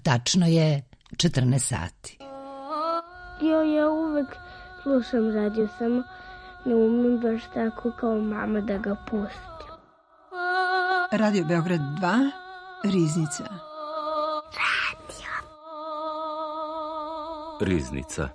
Tačno je 14 sati. Ja uvek slušam radio, samo ne umem baš tako kao mama da ga pustim. Radio Beograd 2, Riznica. Riznica.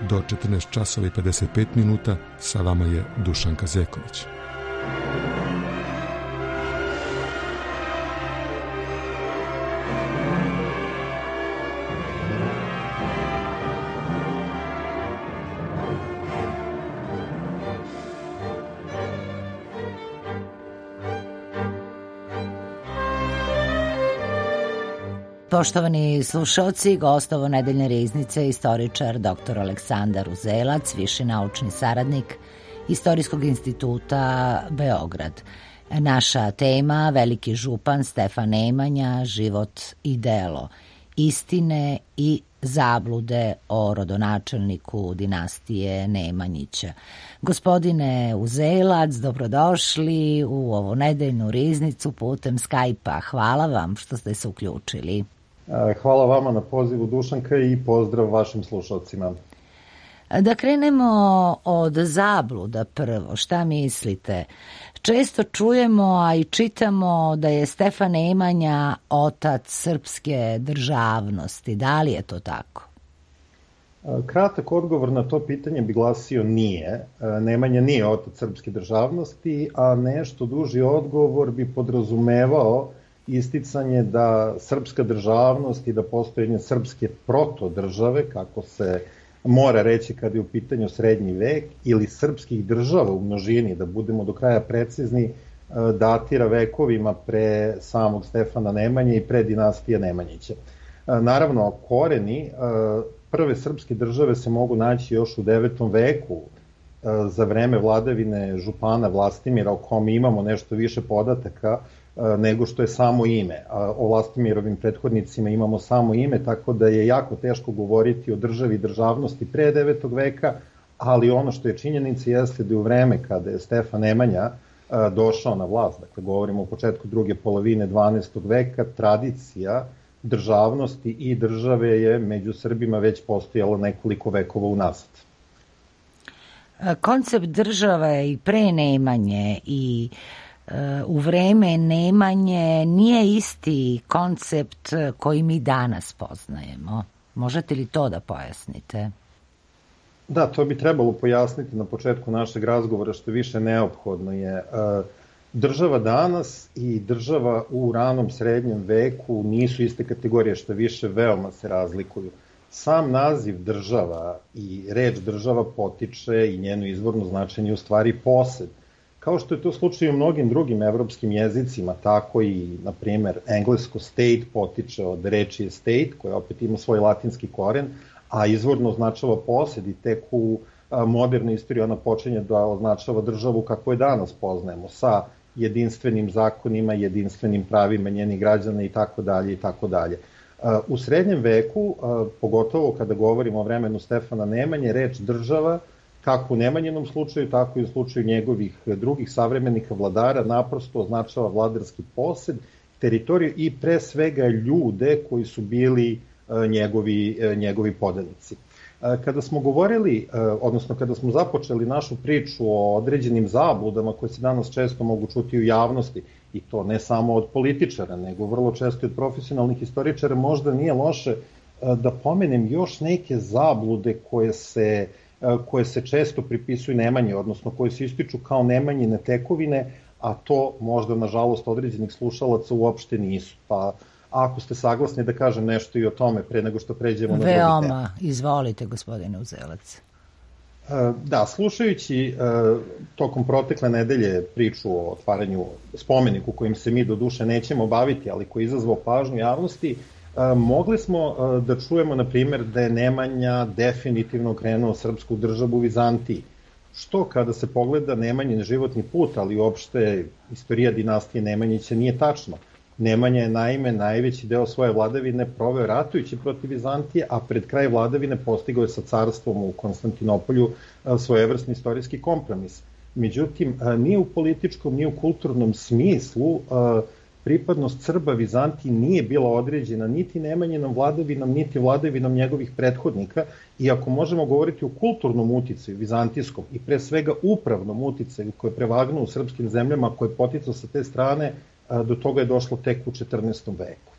Do 14 časova i 55 minuta sa vama je Dušanka Zeković. Poštovani slušalci, gost ovo nedeljne riznice, istoričar dr. Aleksandar Uzelac, viši naučni saradnik Istorijskog instituta Beograd. Naša tema, veliki župan Stefan Nemanja, život i delo, istine i zablude o rodonačelniku dinastije Nemanjića. Gospodine Uzelac, dobrodošli u ovu nedeljnu riznicu putem Skype-a. Hvala vam što ste se uključili. Hvala vama na pozivu, Dušanka, i pozdrav vašim slušalcima. Da krenemo od zabluda prvo. Šta mislite? Često čujemo, a i čitamo da je Stefan Nemanja otac srpske državnosti. Da li je to tako? Kratak odgovor na to pitanje bi glasio nije. Nemanja nije otac srpske državnosti, a nešto duži odgovor bi podrazumevao isticanje da srpska državnost i da postojanje srpske protodržave, kako se mora reći kad je u pitanju srednji vek, ili srpskih država u množini, da budemo do kraja precizni, datira vekovima pre samog Stefana Nemanje i pre dinastije Nemanjića. Naravno, koreni prve srpske države se mogu naći još u 9. veku, za vreme vladavine župana Vlastimira, o kome imamo nešto više podataka nego što je samo ime. O Vlastimirovim prethodnicima imamo samo ime, tako da je jako teško govoriti o državi i državnosti pre 9. veka, ali ono što je činjenica jeste da je u vreme kada je Stefan Nemanja došao na vlast, dakle govorimo o početku druge polovine 12. veka, tradicija državnosti i države je među Srbima već postojala nekoliko vekova unazad. Koncept države i pre Nemanje i u vreme Nemanje nije isti koncept koji mi danas poznajemo. Možete li to da pojasnite? Da, to bi trebalo pojasniti na početku našeg razgovora, što više neophodno je. Država danas i država u ranom srednjem veku nisu iste kategorije, što više veoma se razlikuju. Sam naziv država i reč država potiče i njeno izvorno značenje u stvari posed. Kao što je to slučaj u mnogim drugim evropskim jezicima, tako i, na primer, englesko state potiče od reči estate, koja opet ima svoj latinski koren, a izvorno označava posed i tek u modernoj istoriji ona počinje da označava državu kako je danas poznajemo, sa jedinstvenim zakonima, jedinstvenim pravima njenih građana i tako dalje i tako dalje. U srednjem veku, pogotovo kada govorimo o vremenu Stefana Nemanje, reč država, kako u Nemanjinom slučaju, tako i u slučaju njegovih drugih savremenika vladara, naprosto označava vladarski posed, teritoriju i pre svega ljude koji su bili njegovi podanici. Kada smo govorili, odnosno kada smo započeli našu priču o određenim zabludama koje se danas često mogu čuti u javnosti, i to ne samo od političara, nego vrlo često i od profesionalnih historičara, možda nije loše da pomenem još neke zablude koje se često pripisuju Nemanji, odnosno koje se ističu kao Nemanjine tekovine, a to možda, nažalost, određenih slušalaca uopšte nisu. Pa ako ste saglasni da kažem nešto i o tome pre nego što pređemo na drugi tema. Veoma, izvolite, gospodine Uzelac. Da, slušajući tokom protekle nedelje priču o otvaranju spomeniku kojim se mi do duše nećemo baviti, ali koji je izazvao pažnju javnosti, mogli smo da čujemo, na primjer, da je Nemanja definitivno krenuo srpsku državu u Vizantiji. Što kada se pogleda Nemanjin životni put, ali uopšte istorija dinastije Nemanjića nije tačno. Nemanja je naime najveći deo svoje vladavine proveo ratujući protiv Vizantije, a pred kraj vladavine postigao je sa carstvom u Konstantinopolju svojevrsni istorijski kompromis. Međutim, ni u političkom, ni u kulturnom smislu pripadnost Srba Vizantiji nije bila određena niti Nemanjinom vladavinom, niti vladavinom njegovih prethodnika, i ako možemo govoriti o kulturnom uticaju vizantijskom i pre svega upravnom uticaju koji je prevagnuo u srpskim zemljama, koji je poticao sa te strane, do toga je došlo tek u 14. veku.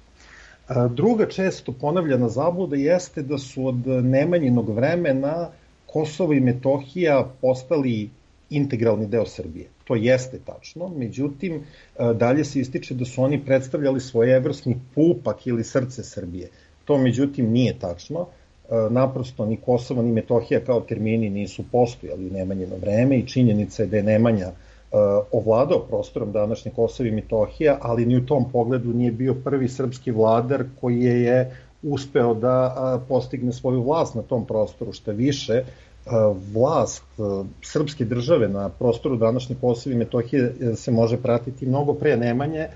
Druga često ponavljana zabluda jeste da su od Nemanjinog vremena Kosovo i Metohija postali integralni deo Srbije. To jeste tačno, međutim, dalje se ističe da su oni predstavljali svojevrsni pupak ili srce Srbije. To, međutim, nije tačno. Naprosto, ni Kosovo, ni Metohija kao termini nisu postojali u Nemanjino vreme i činjenica je da je Nemanja ovladao prostorom današnje Kosova i Metohija, ali ni u tom pogledu nije bio prvi srpski vladar koji je uspeo da postigne svoju vlast na tom prostoru. Šta više, vlast srpske države na prostoru današnje Kosova i Metohije se može pratiti mnogo pre Nemanje,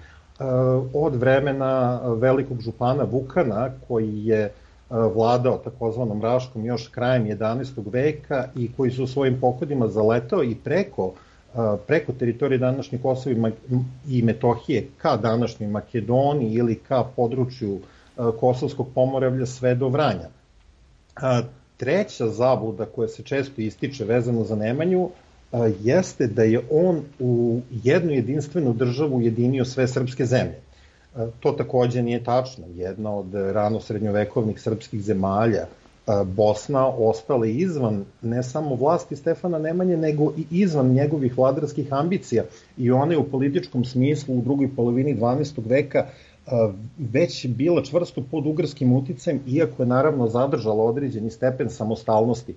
od vremena velikog župana Vukana, koji je vladao takozvanom Raškom još krajem 11. veka i koji su u svojim pohodima zaletao i preko teritorije današnje Kosova i Metohije ka današnjoj Makedoniji ili ka području Kosovskog pomoravlja sve do Vranja. Treća zabluda koja se često ističe vezano za Nemanju jeste da je on u jednu jedinstvenu državu ujedinio sve srpske zemlje. To takođe nije tačno. Jedna od rano srednjovekovnih srpskih zemalja, Bosna, ostala izvan ne samo vlasti Stefana Nemanje, nego i izvan njegovih vladarskih ambicija, i ona je u političkom smislu u drugoj polovini 12. veka već bila čvrsto pod ugarskim uticajem, iako je naravno zadržala određeni stepen samostalnosti.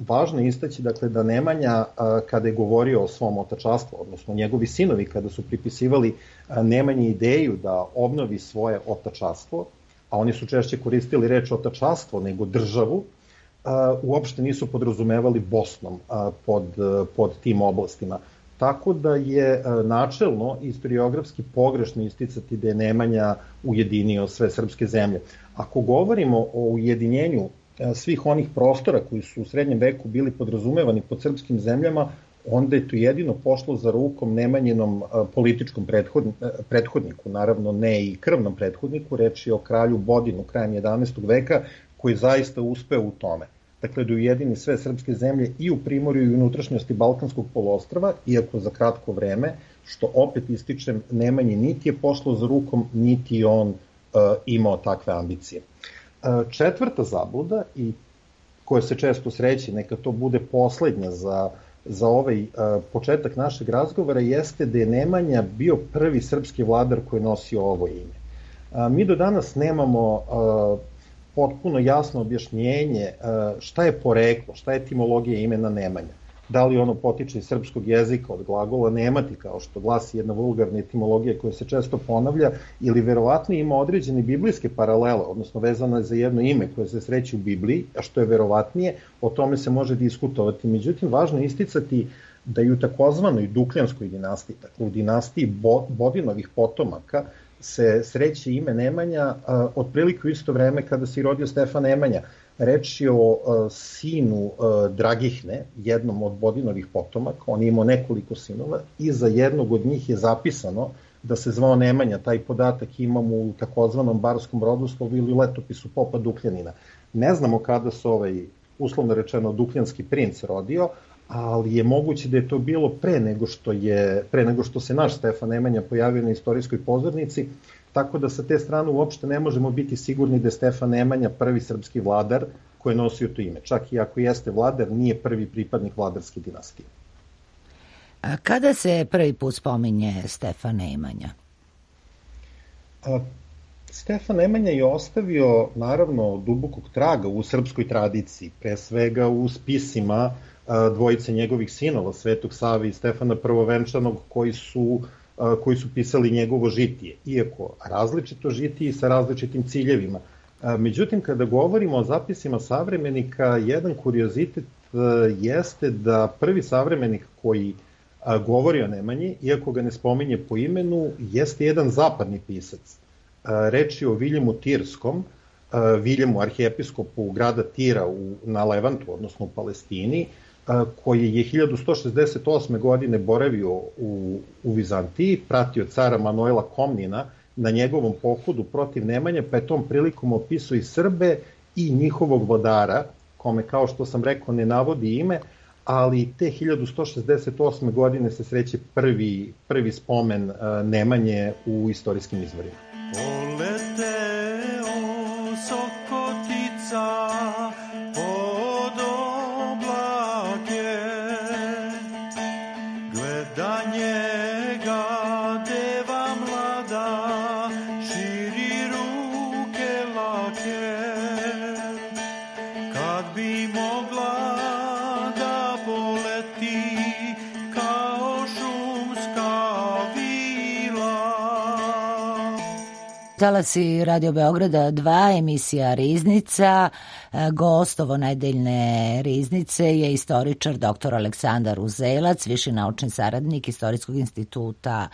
Važno je istaći, dakle, da Nemanja, kada je govorio o svom otačastvu, odnosno njegovi sinovi kada su pripisivali Nemanji ideju da obnovi svoje otačastvo, a oni su češće koristili reč otačastvo nego državu, uopšte nisu podrazumevali Bosnom pod tim oblastima. Tako da je načelno istoriografski pogrešno isticati da je Nemanja ujedinio sve srpske zemlje. Ako govorimo o ujedinjenju svih onih prostora koji su u srednjem veku bili podrazumevani pod srpskim zemljama, onda je to jedino pošlo za rukom Nemanjinom političkom prethodniku, naravno ne i krvnom prethodniku, reč je o kralju Bodinu krajem 11. veka, koji zaista uspeo u tome. Dakle, da ujedini sve srpske zemlje i u primorju i unutrašnjosti Balkanskog poluostrva, iako za kratko vreme, što opet ističem, Nemanji niti je pošlo za rukom, niti on imao takve ambicije. Četvrta zabluda, i koja se često sreće, neka to bude poslednja za ovaj početak našeg razgovora, jeste da je Nemanja bio prvi srpski vladar koji je nosio ovo ime. Mi do danas nemamo potpuno jasno objašnjenje šta je poreklo, šta je etimologija imena Nemanja. Da li ono potiče iz srpskog jezika od glagola nemati, kao što glasi jedna vulgarna etimologija koja se često ponavlja, ili verovatno ima određene biblijske paralele, odnosno vezano je za jedno ime koje se sreće u Bibliji, a što je verovatnije, o tome se može diskutovati. Međutim, važno je isticati da i u takozvanoj Dukljanskoj dinastiji, dakle u dinastiji Bodinovih potomaka, se sreće ime Nemanja otprilike u isto vreme kada se rodio Stefan Nemanja. Reč je o sinu Dragihne, jednom od Bodinovih potomaka. On je imao nekoliko sinova i za jednog od njih je zapisano da se zvao Nemanja. Taj podatak imamo u takozvanom barskom rodoslovu ili letopisu popa Dukljanina. Ne znamo kada se uslovno rečeno Dukljanski princ rodio, ali je moguće da je to bilo pre nego što se naš Stefan Nemanja pojavio na istorijskoj pozornici, tako da sa te strane uopšte ne možemo biti sigurni da je Stefan Nemanja prvi srpski vladar koji je nosio to ime. Čak i ako jeste vladar, nije prvi pripadnik vladarske dinastije. A kada se prvi put spominje Stefan Nemanja? Stefan Nemanja je ostavio, naravno, dubokog traga u srpskoj tradiciji, pre svega u spisima dvojice njegovih sinova, Svetog Save i Stefana Prvovenčanog, koji su pisali njegovo žitije, iako različito žitije i sa različitim ciljevima. Međutim, kada govorimo o zapisima savremenika, jedan kuriozitet jeste da prvi savremenik koji govori o Nemanji, iako ga ne spominje po imenu, jeste jedan zapadni pisac. Reč je o Viljemu Tirskom, Viljemu arhijepiskopu grada Tira na Levantu, odnosno u Palestini, koji je 1168. godine boravio u Vizantiji, pratio cara Manuela Komnina na njegovom pohodu protiv Nemanje, pa je tom prilikom opisao i Srbe i njihovog vladara, kome, kao što sam rekao, ne navodi ime, ali te 1168. godine se sreće prvi spomen Nemanje u istorijskim izvorima. Poleteo Sokotica pod oblake, gleda njega deva mlada, širi ruke lake, kad bi mogla da poleti kao šumska vila. Talasi Radio Beograda 2, emisija Riznica. Gost ovo nedeljne Riznice je istoričar dr. Aleksandar Uzelac, viši naučni saradnik Istorijskog instituta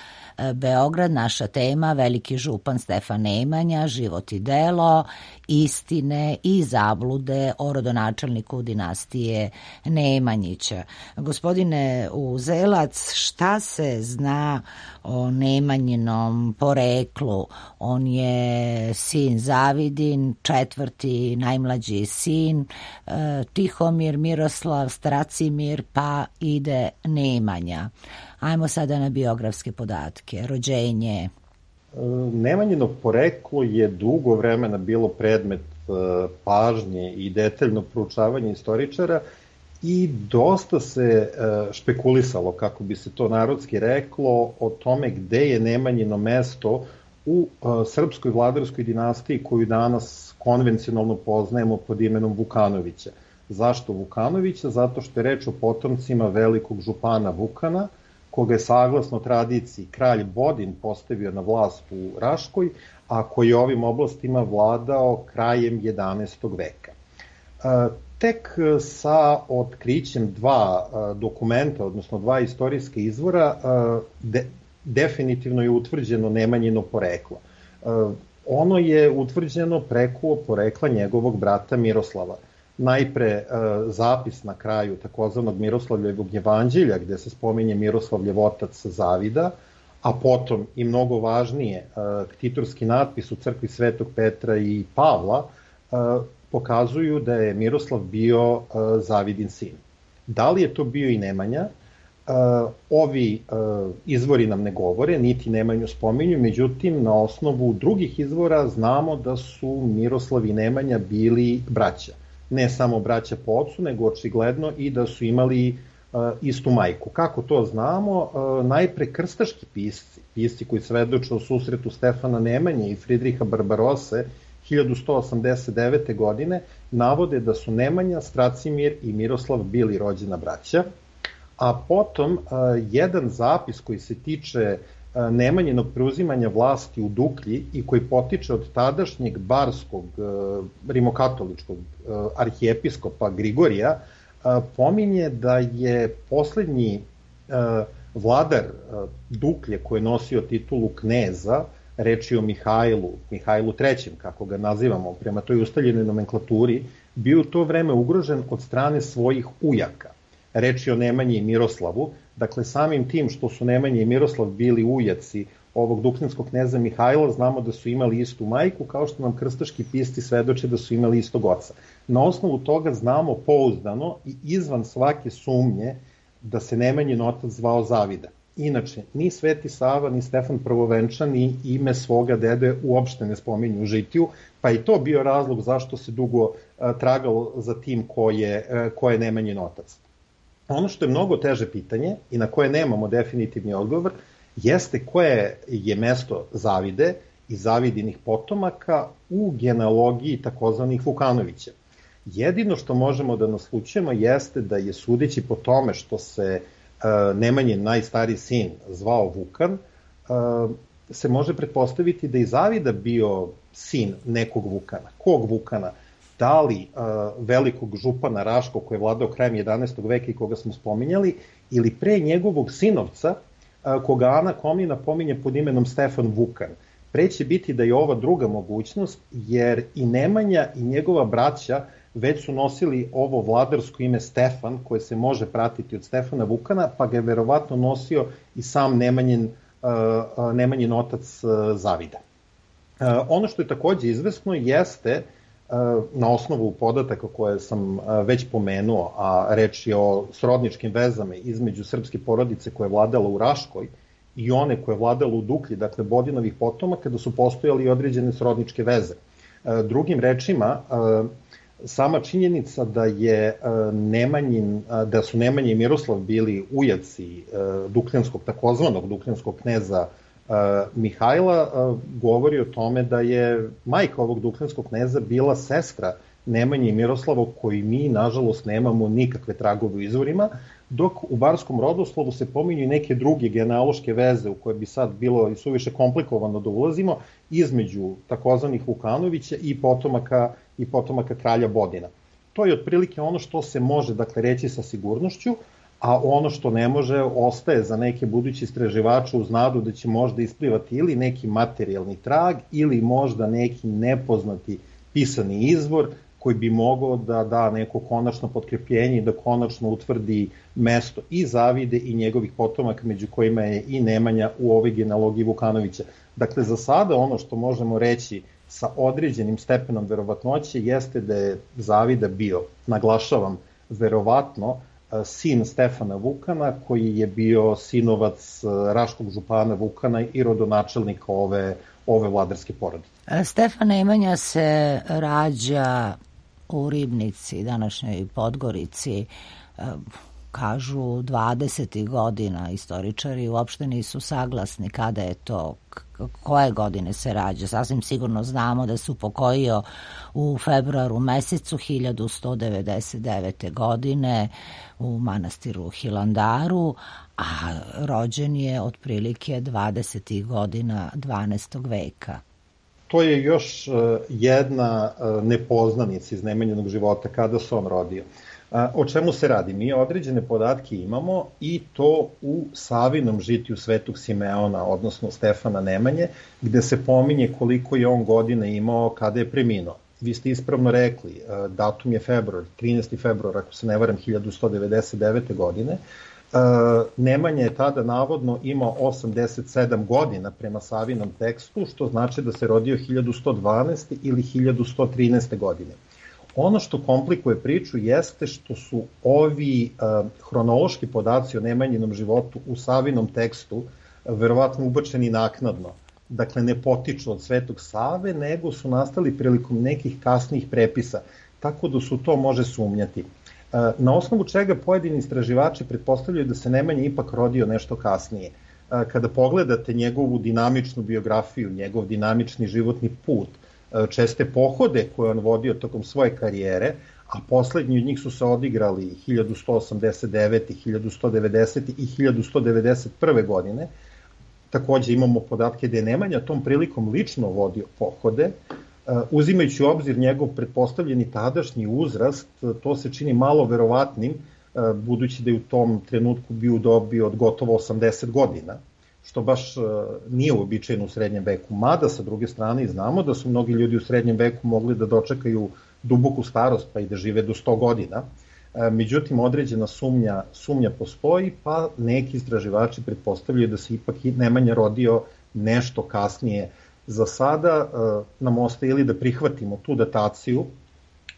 Beograd. Naša tema: veliki župan Stefan Nemanja, život i delo, istine i zablude o rodonačelniku dinastije Nemanjića. Gospodine Uzelac, šta se zna o Nemanjinom poreklu? On je sin Zavidin, četvrti najmlađi sin, Tihomir, Miroslav, Stracimir, pa ide Nemanja. Ajmo sada na biografske podatke. Rođenje. Nemanjino poreklo je dugo vremena bilo predmet pažnje i detaljno proučavanje istoričara i dosta se špekulisalo, kako bi se to narodski reklo, o tome gde je Nemanjino mesto u srpskoj vladarskoj dinastiji koju danas konvencionalno poznajemo pod imenom Vukanovića. Zašto Vukanovića? Zato što je reč o potomcima velikog župana Vukana, koga je saglasno tradiciji kralj Bodin postavio na vlast u Raškoj, a koji je ovim oblastima vladao krajem 11. veka. Tek sa otkrićem dva dokumenta, odnosno dva istorijska izvora, definitivno je utvrđeno Nemanjino poreklo. Ono je utvrđeno preko porekla njegovog brata Miroslava. Najpre zapis na kraju takozvanog Miroslavljevog jevanđelja, gde se spominje Miroslavljev otac Zavida, a potom i mnogo važnije ktitorski natpis u crkvi Svetog Petra i Pavla pokazuju da je Miroslav bio Zavidin sin. Da li je to bio i Nemanja? Ovi izvori nam ne govore, niti Nemanju spominju, međutim na osnovu drugih izvora znamo da su Miroslav i Nemanja bili braća. Ne samo braća po ocu, nego očigledno i da su imali istu majku. Kako to znamo? Najpre krstaški pisci koji svedoče o susretu Stefana Nemanje i Fridriha Barbarose 1189. godine navode da su Nemanja, Stracimir i Miroslav bili rođena braća, a potom jedan zapis koji se tiče Nemanjinog preuzimanja vlasti u Duklji i koji potiče od tadašnjeg barskog rimokatoličkog arhijepiskopa Grigorija, pominje da je poslednji vladar Duklje koji je nosio titulu kneza, reč je o Mihajlu III, kako ga nazivamo prema toj ustaljenoj nomenklaturi, bio u to vreme ugrožen od strane svojih ujaka. Reč je o Nemanji i Miroslavu, dakle samim tim što su Nemanja i Miroslav bili ujaci ovog duklinskog kneza Mihajla, znamo da su imali istu majku, kao što nam krstaški pisci svedoče da su imali istog oca. Na osnovu toga znamo pouzdano i izvan svake sumnje da se Nemanjin otac zvao Zavida. Inače, ni Sveti Sava, ni Stefan Prvovenčan, ni ime svoga dede uopšte ne spominju u žitiju, pa i to bio razlog zašto se dugo tragalo za tim ko je Nemanjin otac. Ono što je mnogo teže pitanje i na koje nemamo definitivni odgovor, jeste koje je mesto Zavide i Zavidinih potomaka u genealogiji takozvanih Vukanovića. Jedino što možemo da naslučujemo jeste da je, sudeći po tome što se Nemanjin najstariji sin zvao Vukan, se može pretpostaviti da je Zavida bio sin nekog Vukana. Kog Vukana? Da li velikog župana Raškog koji je vladao krajem 11. veka i koga smo spominjali, ili pre njegovog sinovca koga Ana Komnina pominje pod imenom Stefan Vukan. Pre će biti da je ova druga mogućnost, jer i Nemanja i njegova braća već su nosili ovo vladarsko ime Stefan, koje se može pratiti od Stefana Vukana, pa ga je verovatno nosio i sam Nemanjin otac Zavida. Ono što je takođe izvesno jeste, na osnovu podataka koje sam već pomenuo, a reč je o srodničkim vezama između srpske porodice koja je vladala u Raškoj i one koje je vladala u Duklji, dakle Bodinovih potomaka, da su postojali i određene srodničke veze. Drugim rečima, sama činjenica da su Nemanja i Miroslav bili ujaci takozvanog dukljanskog kneza Mihajla, govori o tome da je majka ovog dukljanskog kneza bila sestra Nemanje i Miroslava, koji mi, nažalost, nemamo nikakve tragove u izvorima, dok u barskom rodoslovu se pominju i neke druge genealoške veze u koje bi sad bilo i suviše komplikovano da ulazimo, između takozvanih Vukanovića i potomaka kralja Bodina. To je otprilike ono što se može, dakle, reći sa sigurnošću, a ono što ne može ostaje za neke budući istraživače uz nadu da će možda isplivati ili neki materijalni trag ili možda neki nepoznati pisani izvor koji bi mogao da da neko konačno potkrepljenje i da konačno utvrdi mesto i Zavide i njegovih potomaka, među kojima je i Nemanja u ovoj genealogiji Vukanovića. Dakle, za sada ono što možemo reći sa određenim stepenom verovatnoće jeste da je Zavida bio, naglašavam, verovatno, sin Stefana Vukana, koji je bio sinovac raškog župana Vukana i rodonačelnika ove vladarske porodice. Stefan Nemanja se rađa u Ribnici, današnjoj Podgorici, kažu 20. godina. Istoričari uopšte nisu saglasni kada je to, koje godine se rađa. Sasvim sigurno znamo da se upokojio u februaru mesecu 1199. godine u manastiru Hilandaru, a rođen je otprilike 20. godina 12. veka. To je još jedna nepoznanica iz Nemanjinog života, kada se on rodio. O čemu se radi? Mi određene podatke imamo i to u Savinom žitiju Svetog Simeona, odnosno Stefana Nemanje, gde se pominje koliko je on godina imao kada je preminuo. Vi ste ispravno rekli, datum je februar, 13. februar, ako se ne varam, 1199. godine. Nemanja je tada navodno imao 87 godina prema Savinom tekstu, što znači da se rodio 1112. ili 1113. godine. Ono što komplikuje priču jeste što su ovi hronološki podaci o Nemanjinom životu u Savinom tekstu verovatno ubačeni naknadno. Dakle, ne potiču od Svetog Save, nego su nastali prilikom nekih kasnijih prepisa, tako da su to može sumnjati. Na osnovu čega pojedini istraživači pretpostavljaju da se Nemanja ipak rodio nešto kasnije. Kada pogledate njegovu dinamičnu biografiju, njegov dinamični životni put, česte pohode koje on vodio tokom svoje karijere, a poslednji od njih su se odigrali 1189, 1190 i 1191. godine. Takođe imamo podatke da je Nemanja tom prilikom lično vodio pohode. Uzimajući u obzir njegov pretpostavljeni tadašnji uzrast, to se čini malo verovatnim, budući da je u tom trenutku bio u dobi od gotovo 80 godina, što baš nije uobičajeno u srednjem veku. Mada, sa druge strane, znamo da su mnogi ljudi u srednjem veku mogli da dočekaju duboku starost, pa i da žive do 100 godina. Međutim, određena sumnja postoji, pa neki istraživači pretpostavljaju da se ipak Nemanja rodio nešto kasnije. Za sada nam ostaje ili da prihvatimo tu dataciju,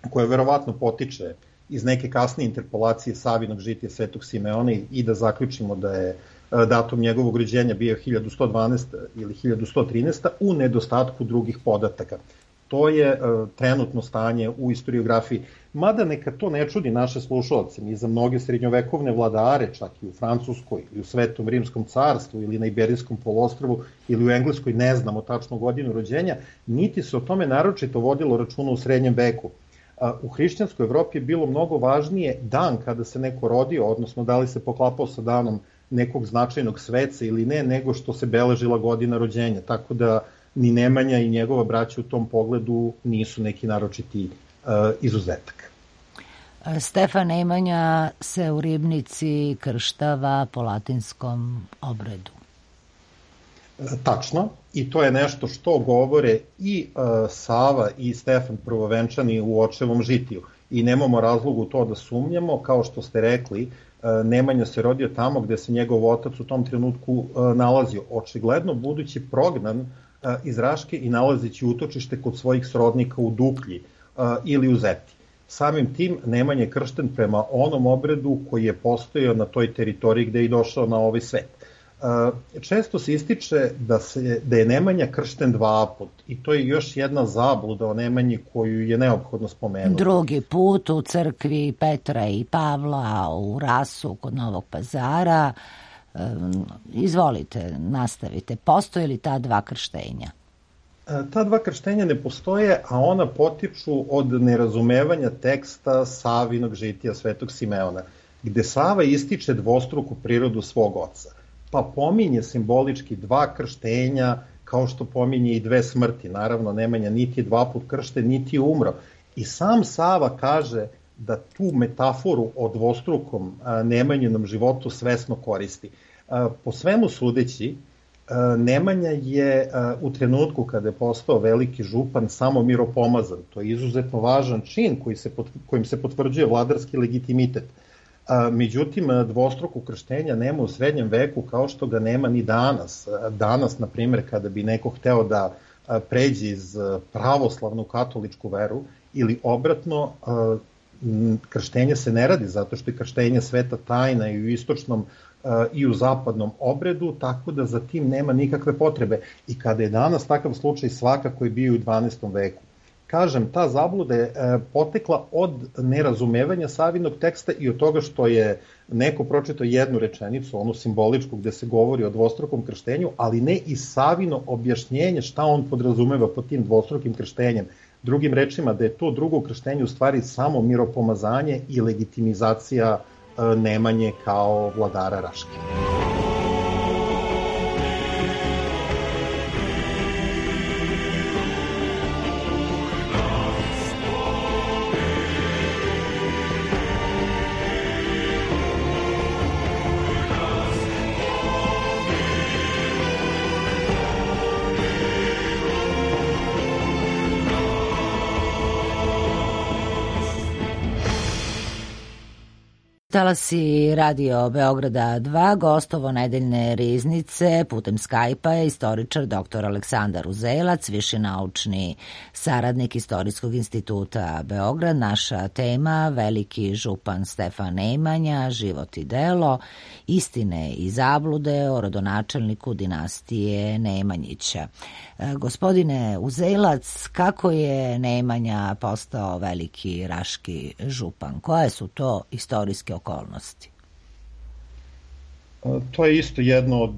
koja verovatno potiče iz neke kasnije interpolacije Savinog žitija Svetog Simeona i da zaključimo da je datum njegovog rođenja bio 1112 ili 1113 u nedostatku drugih podataka. To je trenutno stanje u istoriografiji. Mada neka to ne čudi naše slušalce, mi za mnoge srednjovekovne vladare, čak i u Francuskoj, ili u Svetom Rimskom carstvu, ili na Iberijskom poluostrvu, ili u Engleskoj, ne znamo tačnu godinu rođenja, niti se o tome naročito vodilo računa u srednjem veku. U hrišćanskoj Evropi je bilo mnogo važnije dan kada se neko rodio, odnosno da li se poklapao sa danom nekog značajnog sveca ili ne, nego što se beležila godina rođenja. Tako da ni Nemanja i njegova braća u tom pogledu nisu neki naročiti izuzetak. Stefan Nemanja se u Ribnici krštava po latinskom obredu. Tačno, i to je nešto što govore i Sava i Stefan prvovenčani u očevom žitiju. I nemamo razlogu to da sumnjamo, kao što ste rekli, Nemanja se rodio tamo gde se njegov otac u tom trenutku nalazio. Očigledno budući prognan iz Raške i nalazeći utočište kod svojih srodnika u Duklji ili u Zeti. Samim tim Nemanja je kršten prema onom obredu koji je postojao na toj teritoriji gde je došao na ovaj svet. Često se ističe da je Nemanja kršten 2 put i to je još jedna zabluda o Nemanji koju je neophodno spomenuti. Drugi put u crkvi Petra i Pavla u Rasu kod Novog Pazara. Izvolite, nastavite. Postoje li ta 2 krštenja? Ta 2 krštenja ne postoje, a ona potiču od nerazumevanja teksta Savinog žitija Svetog Simeona, gde Sava ističe dvostruku prirodu svog oca. Pa pominje simbolički 2 krštenja, kao što pominje i 2 smrti. Naravno, Nemanja niti je 2 put kršten, niti je umro. I sam Sava kaže da tu metaforu o dvostrukom Nemanjinom životu svesno koristi. Po svemu sudeći, Nemanja je u trenutku kada je postao veliki župan samo miropomazan. To je izuzetno važan čin kojim se potvrđuje vladarski legitimitet. Međutim, dvostruku krštenja nema u srednjem veku kao što ga nema ni danas. Danas, na primjer, kada bi neko hteo da pređe iz pravoslavnu katoličku veru ili obratno, krštenje se ne radi zato što je krštenje sveta tajna i u istočnom i u zapadnom obredu, tako da za tim nema nikakve potrebe. I kada je danas takav slučaj, svakako je bio u 12. veku. Kažem, ta zabluda je potekla od nerazumevanja Savinog teksta i od toga što je neko pročitao jednu rečenicu, onu simboličku gde se govori o dvostrukom krštenju, ali ne i Savino objašnjenje šta on podrazumeva pod tim dvostrukim krštenjem. Drugim rečima, da je to drugo krštenje u stvari samo miropomazanje i legitimizacija Nemanje kao vladara Raške. Talasi Radio Beograda 2, gostovo nedeljne riznice putem Skype-a je istoričar dr. Aleksandar Uzelac, viši naučni saradnik Istorijskog instituta Beograd. Naša tema, veliki župan Stefan Nemanja, život i delo, istine i zablude o rodonačelniku dinastije Nemanjića. Gospodine Uzelac, kako je Nemanja postao veliki raški župan? Koje su to istorijske okolnosti? To je isto jedno od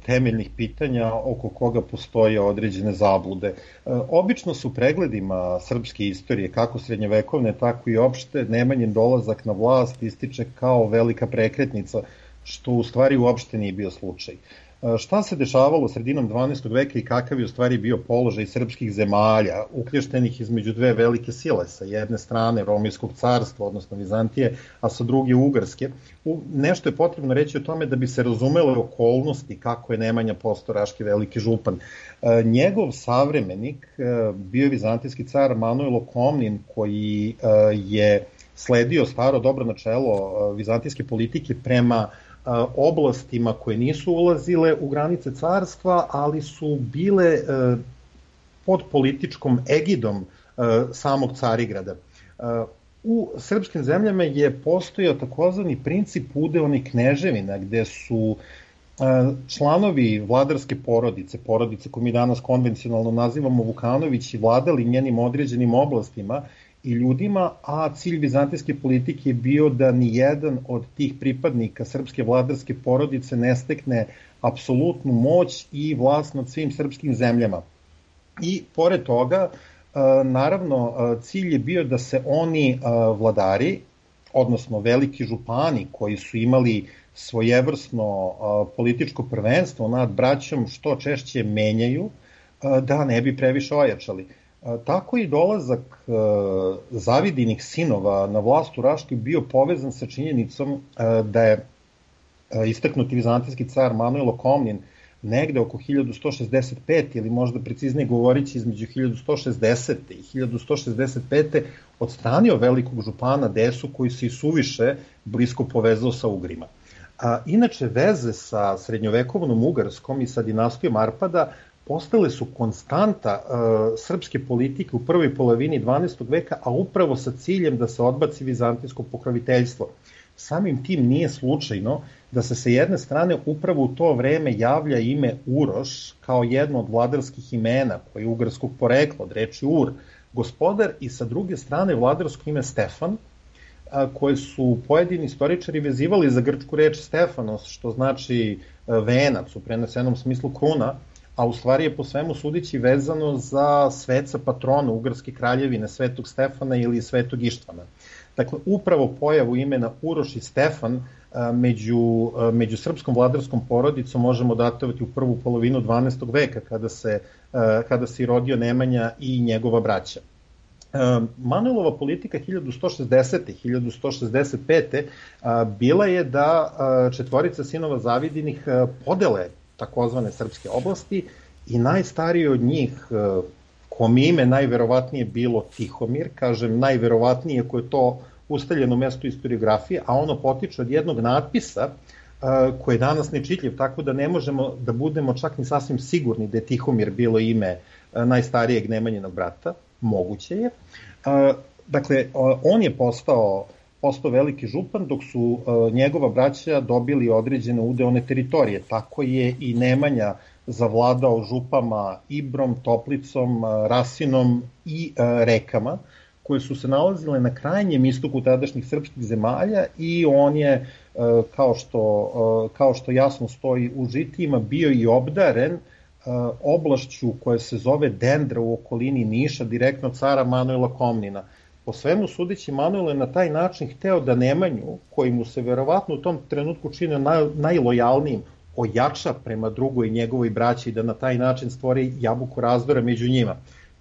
temeljnih pitanja oko koga postoje određene zablude. Obično su pregledima srpske istorije, kako srednjevekovne, tako i opšte, Nemanjin dolazak na vlast ističe kao velika prekretnica, što u stvari uopšte nije bio slučaj. Šta se dešavalo sredinom 12. veka i kakav je u stvari bio položaj srpskih zemalja, uključenih između 2 velike sile, sa jedne strane Romijskog carstva, odnosno Vizantije, a sa druge Ugarske. Nešto je potrebno reći o tome da bi se razumele okolnosti kako je Nemanja postao raški veliki župan. Njegov savremenik bio je vizantijski car Manuel Komnin, koji je sledio staro dobro načelo vizantijske politike prema oblastima koje nisu ulazile u granice carstva, ali su bile pod političkom egidom samog Carigrada. U srpskim zemljama je postojao takozvani princip udeonih kneževina, gde su članovi vladarske porodice koju mi danas konvencionalno nazivamo Vukanovići, vladali njenim određenim oblastima i ljudima, a cilj vizantijske politike je bio da ni jedan od tih pripadnika srpske vladarske porodice ne stekne apsolutnu moć i vlast nad svim srpskim zemljama. I pored toga, naravno, cilj je bio da se oni vladari, odnosno veliki župani koji su imali svojevrsno političko prvenstvo nad braćom što češće menjaju, da ne bi previše ojačali. Tako i dolazak Zavidinih sinova na vlast u Raškoj bio povezan sa činjenicom da je istaknuti vizantijski car Manojlo Komnin negde oko 1165. ili možda preciznije govorići između 1160. i 1165. odstranio velikog župana Desu koji se i suviše blisko povezao sa Ugrima. Inače, veze sa srednjovekovnom Ugarskom i sa dinastijom Arpada postale su konstanta srpske politike u prvoj polovini 12. veka, a upravo sa ciljem da se odbaci vizantijsko pokroviteljstvo. Samim tim nije slučajno da se sa jedne strane upravo u to vreme javlja ime Uroš kao jedno od vladarskih imena koje je ugarskog porekla, od reči Ur, gospodar, i sa druge strane vladarsko ime Stefan, koje su pojedini istoričari vezivali za grčku reč Stefanos, što znači venac u prenesenom smislu kruna, a u stvari je po svemu sudići vezano za sveca patrona ugarske kraljevine, Svetog Stefana ili Svetog Ištvana. Dakle, upravo pojavu imena Uroš i Stefan među srpskom vladarskom porodicom možemo datovati u prvu polovinu 12. veka, kada se rodio Nemanja i njegova braća. Manojlova politika 1160. i 1165. bila je da četvorica sinova Zavidinih podele takozvane srpske oblasti i najstariji od njih, kome ime najverovatnije bilo Tihomir, kažem najverovatnije koje je to ustaljeno mesto historiografije, a ono potiče od jednog natpisa koji je danas nečitljiv, tako da ne možemo da budemo čak ni sasvim sigurni da je Tihomir bilo ime najstarijeg Nemanjinog brata, moguće je. Dakle, on je postao veliki župan, dok su njegova braća dobili određene udeone teritorije. Tako je i Nemanja zavladao župama Ibrom, Toplicom, Rasinom i Rekama, koje su se nalazile na krajnjem istoku tadašnjih srpskih zemalja, i on je, kao što jasno stoji u žitijima, bio i obdaren oblašću koja se zove Dendra u okolini Niša, direktno cara Manojla Komnina. Po svemu sudeći, Manojlo je na taj način hteo da Nemanju, koji mu se verovatno u tom trenutku činio najlojalnijim, ojača prema drugoj njegovoj braći i da na taj način stvori jabuku razdora među njima.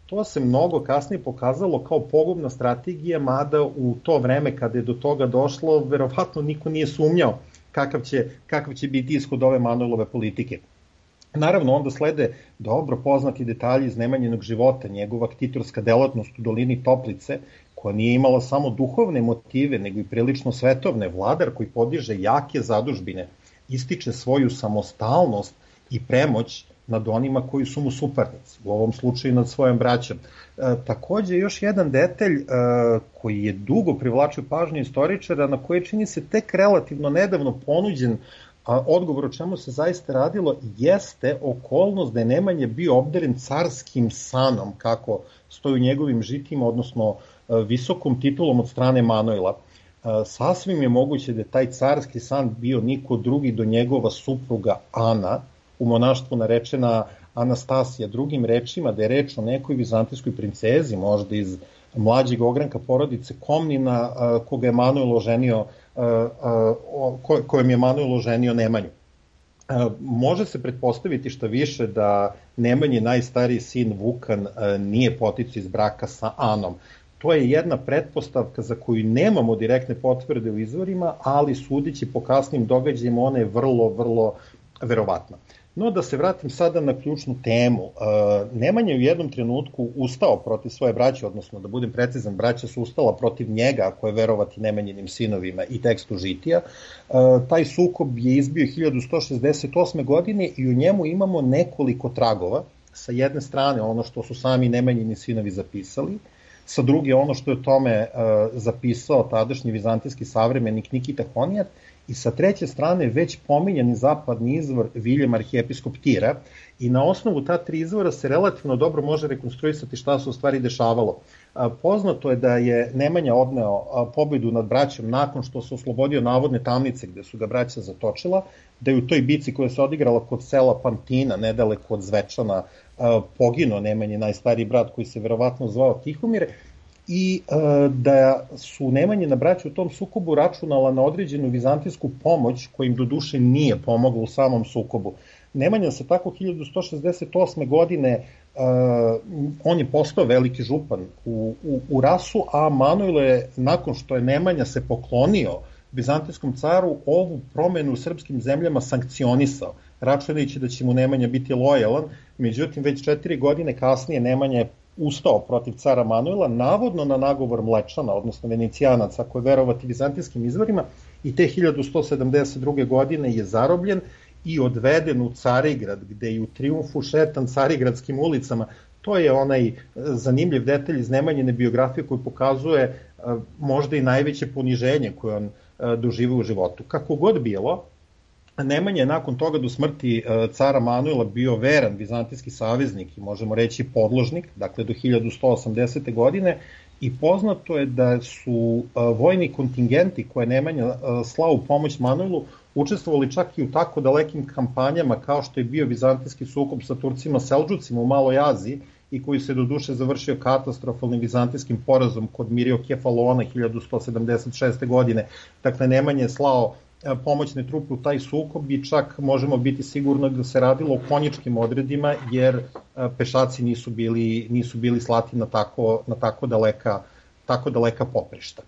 To se mnogo kasnije pokazalo kao pogubna strategija, mada u to vreme kada je do toga došlo, verovatno niko nije sumnjao kakav će biti ishod ove Manojlove politike. Naravno, onda slede dobro poznati detalji iz Nemanjinog života, njegova ktitorska delatnost u dolini Toplice, koja nije imala samo duhovne motive, nego i prilično svetovne. Vladar koji podiže jake zadužbine, ističe svoju samostalnost i premoć nad onima koji su mu suparnici, u ovom slučaju nad svojom braćom. Takođe, još jedan detalj koji je dugo privlačio pažnju istoričara, na koje čini se tek relativno nedavno ponuđen odgovor o čemu se zaista radilo, jeste okolnost da je Nemanja bio obdaren carskim sanom, kako stoji u njegovim žitima, odnosno visokom titulom od strane Manojla. Sasvim je moguće da je taj carski san bio niko drugi do njegova supruga Ana, u monaštvu narečena Anastasija, drugim rečima da je reč o nekoj vizantijskoj princezi, možda iz mlađeg ogranka porodice Komnina, kojem je Manojlo ženio Nemanju. Može se pretpostaviti šta više da Nemanji najstariji sin Vukan nije poticao iz braka sa Anom. To je jedna pretpostavka za koju nemamo direktne potvrde u izvorima, ali sudeći po kasnim događajima ona je vrlo, vrlo verovatna. No, da se vratim sada na ključnu temu. Nemanja je u jednom trenutku ustao protiv svoje braće, odnosno, da budem precizan, braća su ustala protiv njega, ako je verovati Nemanjinim sinovima i tekstu žitija. Taj sukob je izbio 1168. godine i u njemu imamo nekoliko tragova. Sa jedne strane ono što su sami Nemanjini sinovi zapisali, sa druge ono što je o tome zapisao tadašnji vizantijski savremenik Nikita Honijat, i sa treće strane već pominjani zapadni izvor Viljem arhijepiskop Tira, i na osnovu ta tri izvora se relativno dobro može rekonstruisati šta se u stvari dešavalo. Poznato je da je Nemanja odneo pobedu nad braćom nakon što se oslobodio navodne tamnice gde su ga braća zatočila, da je u toj bici koja se odigrala kod sela Pantina, nedaleko od Zvečana, poginuo Nemanji najstariji brat koji se verovatno zvao Tihomir, i da su Nemanjina braća u tom sukobu računala na određenu vizantijsku pomoć koja im do duše nije pomogla u samom sukobu. Nemanja se tako 1168. godine, on je postao veliki župan u Rasu, a Manojlo je, nakon što je Nemanja se poklonio vizantijskom caru, ovu promenu u srpskim zemljama sankcionisao, računajući da će mu Nemanja biti lojalan. Međutim, već 4 godine kasnije Nemanja je ustao protiv cara Manojla, navodno na nagovor Mlečana, odnosno Venecijanaca, ako je verovati vizantijskim izvorima, i te 1172. godine je zarobljen i odveden u Carigrad, gde je u trijumfu šetan carigradskim ulicama. To je onaj zanimljiv detalj iz Nemanjine biografije koji pokazuje možda i najveće poniženje koje on doživio u životu. Kako god bilo, Nemanja je nakon toga do smrti cara Manojla bio veran vizantijski saveznik i možemo reći podložnik, dakle do 1180. godine, i poznato je da su vojni kontingenti koje Nemanja slao u pomoć Manojlu učestvovali čak i u tako dalekim kampanjama kao što je bio vizantijski sukob sa Turcima Selđucima u Maloj Aziji i koji se do duše završio katastrofalnim vizantijskim porazom kod Miriokefalona 1176. godine. Dakle, Nemanja je slao pomoćne trupe u taj sukob i čak možemo biti sigurni da se radilo o konjičkim odredima, jer pešaci nisu bili slati na tako daleka poprišta.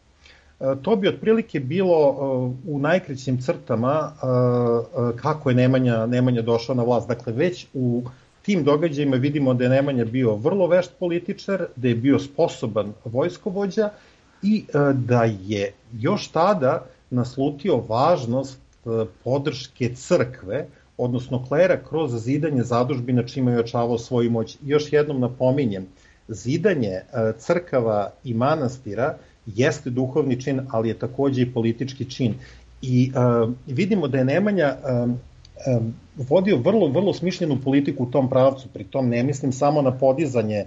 To bi otprilike bilo u najkraćim crtama kako je Nemanja došao na vlast. Dakle, već u tim događajima vidimo da je Nemanja bio vrlo vešt političar, da je bio sposoban vojskovođa i da je još tada naslutio važnost podrške crkve, odnosno klera, kroz zidanje zadužbina čime je ojačavao svoju moć. Još jednom napominjem, zidanje crkava i manastira jeste duhovni čin, ali je takođe i politički čin. I vidimo da je Nemanja vodio vrlo smišljenu politiku u tom pravcu, pri tom ne mislim samo na podizanje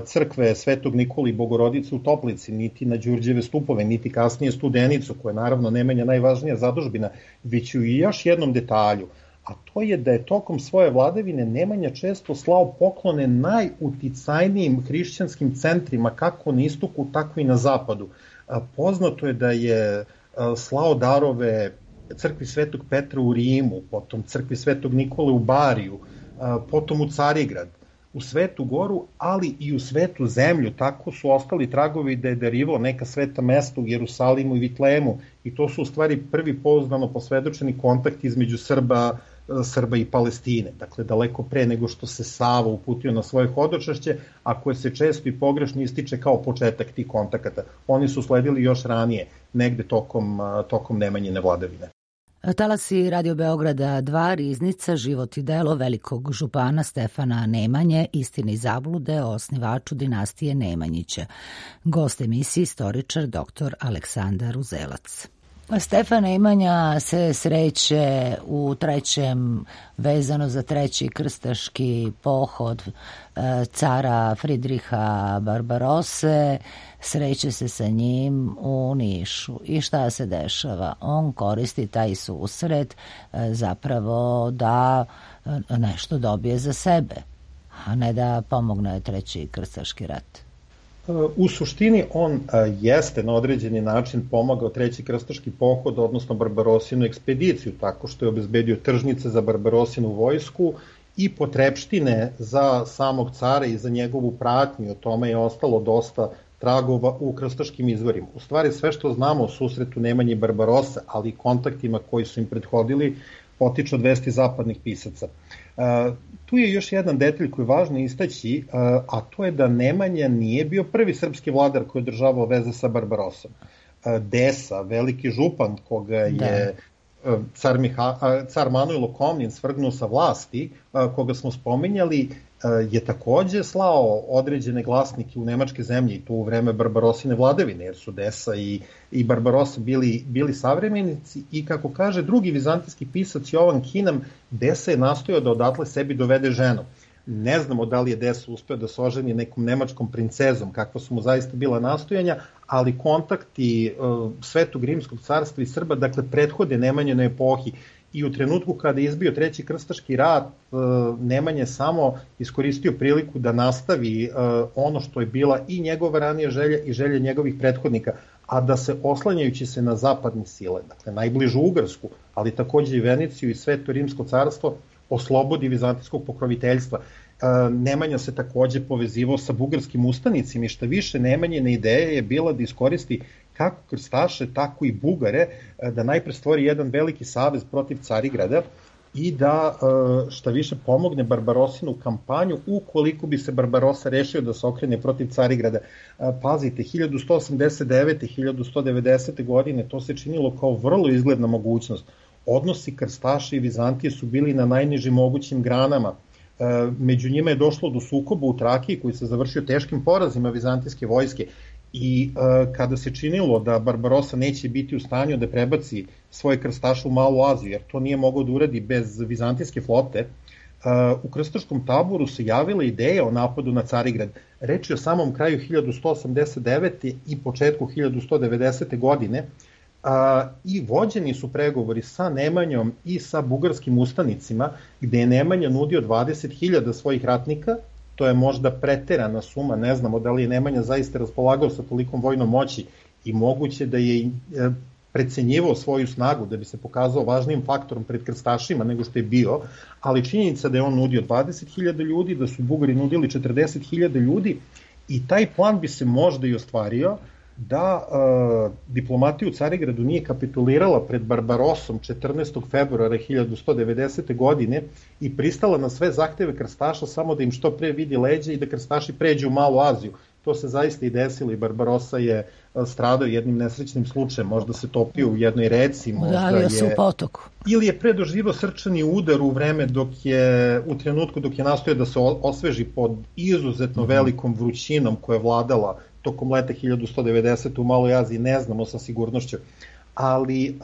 crkve Svetog Nikole i Bogorodice u Toplici, niti na Đurđeve stupove, niti kasnije Studenicu, koja je naravno Nemanja najvažnija zadužbina, već i još jednom detalju, a to je da je tokom svoje vladavine Nemanja često slao poklone najuticajnijim hrišćanskim centrima, kako na istoku, tako i na zapadu. Poznato je da je slao darove crkvi Svetog Petra u Rimu, potom crkvi Svetog Nikole u Bariju, potom u Carigrad, u Svetu Goru, ali i u Svetu Zemlju. Tako su ostali tragovi da je darivao neka sveta mesta u Jerusalimu i Vitlejemu, i to su u stvari prvi pouzdano posvedočeni kontakti između Srba i Palestine. Dakle, daleko pre nego što se Sava uputio na svoje hodočašće, a koje se često i pogrešno ističe kao početak tih kontakata. Oni su sledili još ranije, negde tokom Nemanjine vladavine. Talasi Radio Beograda 2, Riznica, život i delo velikog župana Stefana Nemanje, istine i zablude o osnivaču dinastije Nemanjića. Gost emisije istoričar dr. Aleksandar Uzelac. Stefan Nemanja se sreće u trećem, vezano za treći krstaški pohod cara Fridriha Barbarose, sreće se sa njim u Nišu. I šta se dešava? On koristi taj susret zapravo da nešto dobije za sebe, a ne da pomogne treći krstaški rat. U suštini on jeste na određeni način pomagao treći krstaški pohod, odnosno Barbarosinu ekspediciju, tako što je obezbedio tržnice za Barbarosinu vojsku i potrepštine za samog cara i za njegovu pratnju. O tome je ostalo dosta tragova u krstaškim izvorima. U stvari sve što znamo o susretu Nemanje i Barbarose, ali i kontaktima koji su im prethodili, potiče od vesti zapadnih pisaca. Tu je još jedan detalj koji je važno istaći, a to je da Nemanja nije bio prvi srpski vladar koji je održavao veze sa Barbarosom. Desa, veliki župan koga je car Manojlo Komnin svrgnuo sa vlasti, koga smo spominjali, je takođe slao određene glasnike u nemačke zemlje i to u vreme Barbarosine vladavine, jer su Desa i Barbarossa bili savremenici i kako kaže drugi vizantijski pisac Jovan Kinam, Desa je nastojao da odatle sebi dovede ženu. Ne znamo da li je Desa uspeo da se oženi nekom nemačkom princezom, kakva su mu zaista bila nastojanja, ali kontakti Svetog rimskog carstva i Srba, dakle, prethode Nemanjinoj epohi. I u trenutku kada je izbio Treći krstaški rat, Nemanja je samo iskoristio priliku da nastavi ono što je bila i njegova ranija želja i želja njegovih prethodnika, a da se oslanjajući se na zapadne sile, dakle najbližu Ugarsku, ali takođe i Veneciju i Sveto rimsko carstvo, oslobodi vizantijskog pokroviteljstva. Nemanja se takođe povezivao sa bugarskim ustanicima i šta više Nemanjina ideja je bila da iskoristi kako krstaše, tako i Bugare, da najpre stvori jedan veliki savez protiv Carigrada i da šta više pomogne Barbarosinu kampanju ukoliko bi se Barbarossa rešio da se okrene protiv Carigrada. Pazite, 1189. 1190. godine to se činilo kao vrlo izgledna mogućnost. Odnosi krstaša i Vizantije su bili na najnižim mogućim granama. Među njima je došlo do sukoba u Trakiji koji se završio teškim porazima vizantijske vojske i kada se činilo da Barbarossa neće biti u stanju da prebaci svoje krstaše u Malu Aziju, jer to nije mogao da uradi bez vizantijske flote, u krstaškom taboru se javila ideja o napadu na Carigrad. Reč je o samom kraju 1189. i početku 1190. godine, i vođeni su pregovori sa Nemanjom i sa bugarskim ustanicima, gde je Nemanja nudio 20.000 svojih ratnika. To je možda preterana suma, ne znamo da li je Nemanja zaista raspolagao sa tolikom vojnom moći i moguće da je precenjivao svoju snagu da bi se pokazao važnijim faktorom pred krstašima nego što je bio, ali činjenica da je on nudio 20.000 ljudi, da su Bugari nudili 40.000 ljudi i taj plan bi se možda i ostvario da diplomatija u Carigradu nije kapitulirala pred Barbarossom 14. februara 1190. godine i pristala na sve zahteve krstaša samo da im što pre vidi leđa i da krstaši pređu u Malu Aziju. To se zaista i desilo i Barbarossa je stradao jednim nesrećnim slučajem, možda se topio u jednoj reci, udavio se u potoku. Ili je predoživao srčani udar u vreme u trenutku dok je nastojao da se osveži pod izuzetno velikom vrućinom koja je vladala tokom leta 1190. u Maloj Aziji, ne znamo sa sigurnošću. Ali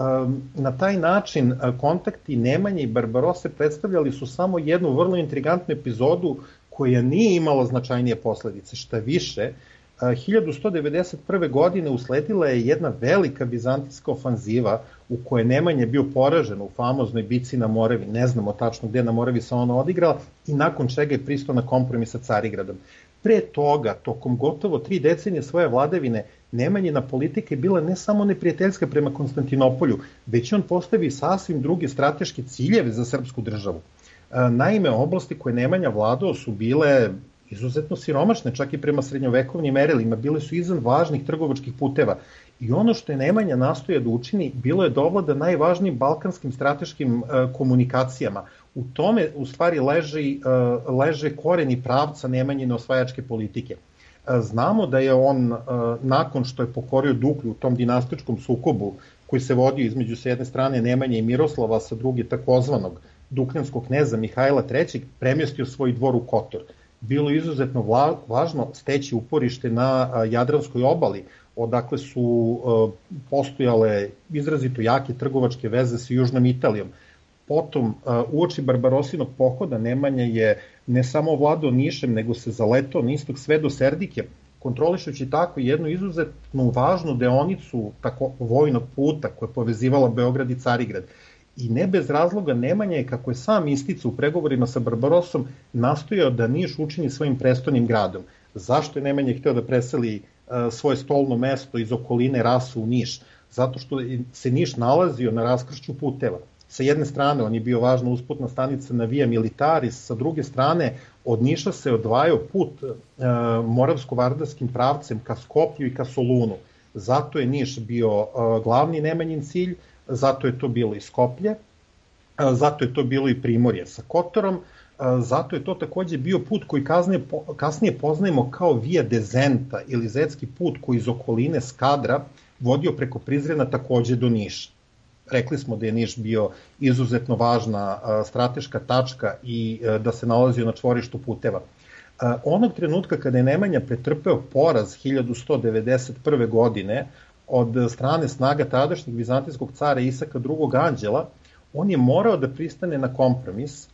na taj način kontakti Nemanje i Barbarosse predstavljali su samo jednu vrlo intrigantnu epizodu koja nije imala značajnije posledice. Šta više, 1191. godine usledila je jedna velika vizantijska ofanziva u kojoj Nemanja bio poražen u famoznoj bici na Moravi, ne znamo tačno gde na Moravi se ona odigrala, i nakon čega je pristao na kompromis sa Carigradom. Pre toga, tokom gotovo 3 decenije svoje vladavine, Nemanjina politika je bila ne samo neprijateljska prema Konstantinopolju, već on postavi sasvim druge strateške ciljeve za srpsku državu. Naime, oblasti koje Nemanja vladao su bile izuzetno siromašne, čak i prema srednjovekovnim merilima, bile su izvan važnih trgovačkih puteva. I ono što je Nemanja nastoja da učini, bilo je da ovlada najvažnijim balkanskim strateškim komunikacijama. U tome, u stvari, leže koreni pravca Nemanjine osvajačke politike. Znamo da je on, nakon što je pokorio Duklju u tom dinastičkom sukobu, koji se vodio između s jedne strane Nemanje i Miroslava, sa druge takozvanog dukljanskog kneza Mihajla III, premjestio svoj dvor u Kotor. Bilo je izuzetno važno steći uporište na Jadranskoj obali, odakle su postojale izrazito jake trgovačke veze sa Južnom Italijom. Potom, uoči Barbarosinog pohoda, Nemanja je ne samo vladao Nišem, nego se zaletao na istok sve do Serdike, kontrolišući tako jednu izuzetno važnu deonicu tako vojnog puta koja je povezivala Beograd i Carigrad. I ne bez razloga Nemanja je, kako je sam isticao u pregovorima sa Barbarossom, nastojao da Niš učini svojim prestolnim gradom. Zašto je Nemanja hteo da preseli svoje stolno mesto iz okoline Rasu u Niš? Zato što se Niš nalazio na raskršću puteva. Sa jedne strane on je bio važna usputna stanica na Via Militaris, sa druge strane od Niša se odvajao put moravsko-vardarskim pravcem ka Skoplju i ka Solunu. Zato je Niš bio glavni Nemanjin cilj, zato je to bilo i Skoplje, zato je to bilo i Primorje sa Kotorom, zato je to takođe bio put koji kasnije poznajemo kao Via Dezenta ili Zetski put koji iz okoline Skadra vodio preko Prizrena takođe do Niša. rekli smo da je Niš bio izuzetno važna strateška tačka i da se nalazio na čvorištu puteva. Onog trenutka kada je Nemanja pretrpeo poraz 1191. godine od strane snaga tadašnjeg vizantijskog cara Isaka II. Anđela, on je morao da pristane na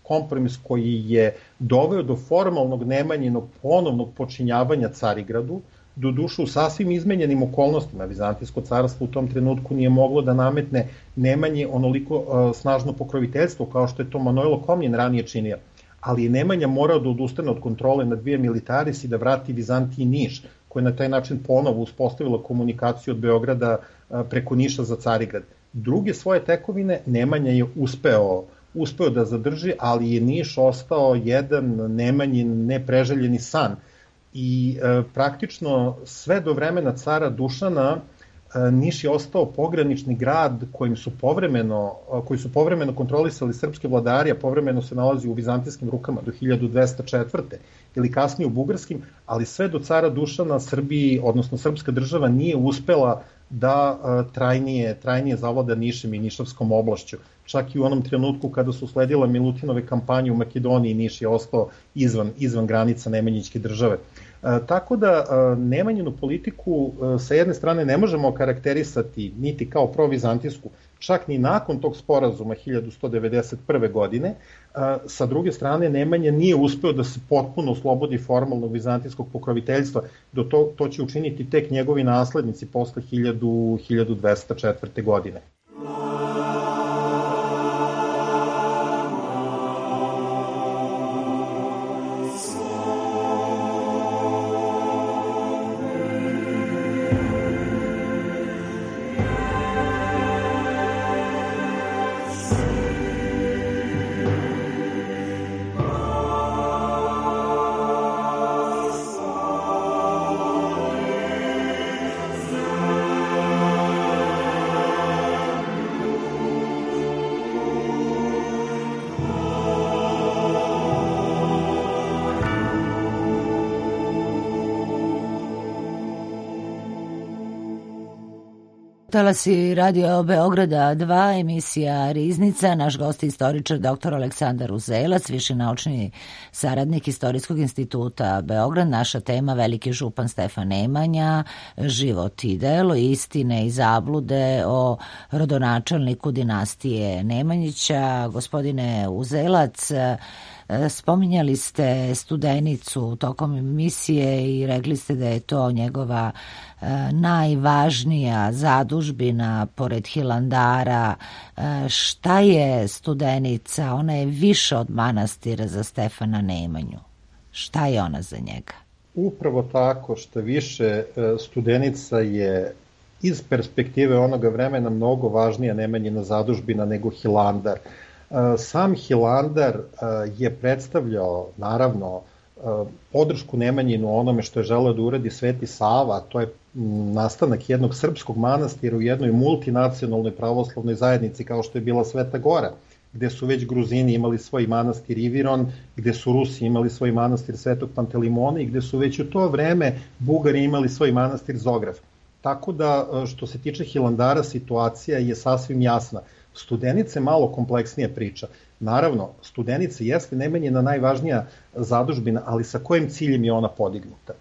kompromis koji je doveo do formalnog Nemanjinog ponovnog počinjavanja Carigradu, doduše u sasvim izmenjenim okolnostima. Vizantijsko carstvo u tom trenutku nije moglo da nametne Nemanji onoliko snažno pokroviteljstvo kao što je to Manojlo Komnen ranije činio. Ali je Nemanja morao da odustane od kontrole nad via militaris i da vrati Vizantiji Niš, koja je na taj način ponovo uspostavila komunikaciju od Beograda preko Niša za Carigrad. Druge svoje tekovine Nemanja je uspeo da zadrži, ali je Niš ostao jedan Nemanjin nepreželjeni san. I praktično sve do vremena cara Dušana Niš je ostao pogranični grad koji su povremeno kontrolisali srpski vladari, a povremeno se nalazi u vizantijskim rukama do 1204. ili kasnije u bugarskim, ali sve do cara Dušana Srbiji, odnosno srpska država nije uspela da trajnije zavlada Nišem i Nišavskom oblašću. Čak i u onom trenutku kada su sledile Milutinove kampanje u Makedoniji, Niš je ostao izvan granica Nemanjićke države. Tako da Nemanjinu politiku sa jedne strane ne možemo karakterisati niti kao provizantijsku, čak ni nakon tog sporazuma 1191. godine. Sa druge strane, Nemanja nije uspeo da se potpuno oslobodi formalnog vizantijskog pokroviteljstva, to će učiniti tek njegovi naslednici posle 1204. godine. Talasi Radio Beograda 2, emisija Riznica. Naš gost je istoričar dr. Aleksandar Uzelac, viši naučni saradnik Istorijskog instituta Beograd. Naša tema veliki župan Stefan Nemanja, život i delo, istine i zablude o rodonačelniku dinastije Nemanjića. Gospodine Uzelac, spominjali ste Studenicu tokom emisije i rekli ste da je to njegova najvažnija zadužbina pored Hilandara. Šta je Studenica? Ona je više od manastira za Stefana Nemanju. Šta je ona za njega? Upravo tako, što više, Studenica je iz perspektive onoga vremena mnogo važnija Nemanjina zadužbina nego Hilandar. Sam Hilandar je predstavljao, naravno, podršku Nemanjinu onome što je želeo da uradi Sveti Sava, to je nastanak jednog srpskog manastira u jednoj multinacionalnoj pravoslavnoj zajednici kao što je bila Sveta Gora, gde su već Gruzini imali svoj manastir Iviron, gde su Rusi imali svoj manastir Svetog Pantelimona i gde su već u to vreme Bugari imali svoj manastir Zograf. Tako da, što se tiče Hilandara, situacija je sasvim jasna. Studenica je malo kompleksnija priča. Naravno, Studenica jeste Nemanjina najvažnija zadužbina, ali sa kojim ciljem je ona podignuta?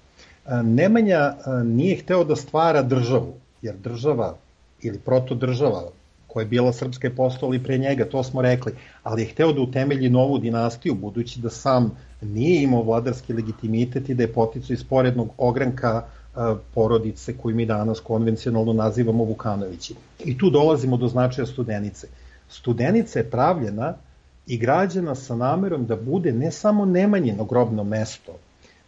Nemanja nije hteo da stvara državu, jer država ili protodržava koja je bila srpska je postala i pre njega, to smo rekli, ali je hteo da utemelji novu dinastiju, budući da sam nije imao vladarski legitimitet i da je poticao iz porednog ogranka porodice koju mi danas konvencionalno nazivamo Vukanovići. I tu dolazimo do značaja Studenice. Studenica je pravljena i građena sa namerom da bude ne samo Nemanjino grobno mesto,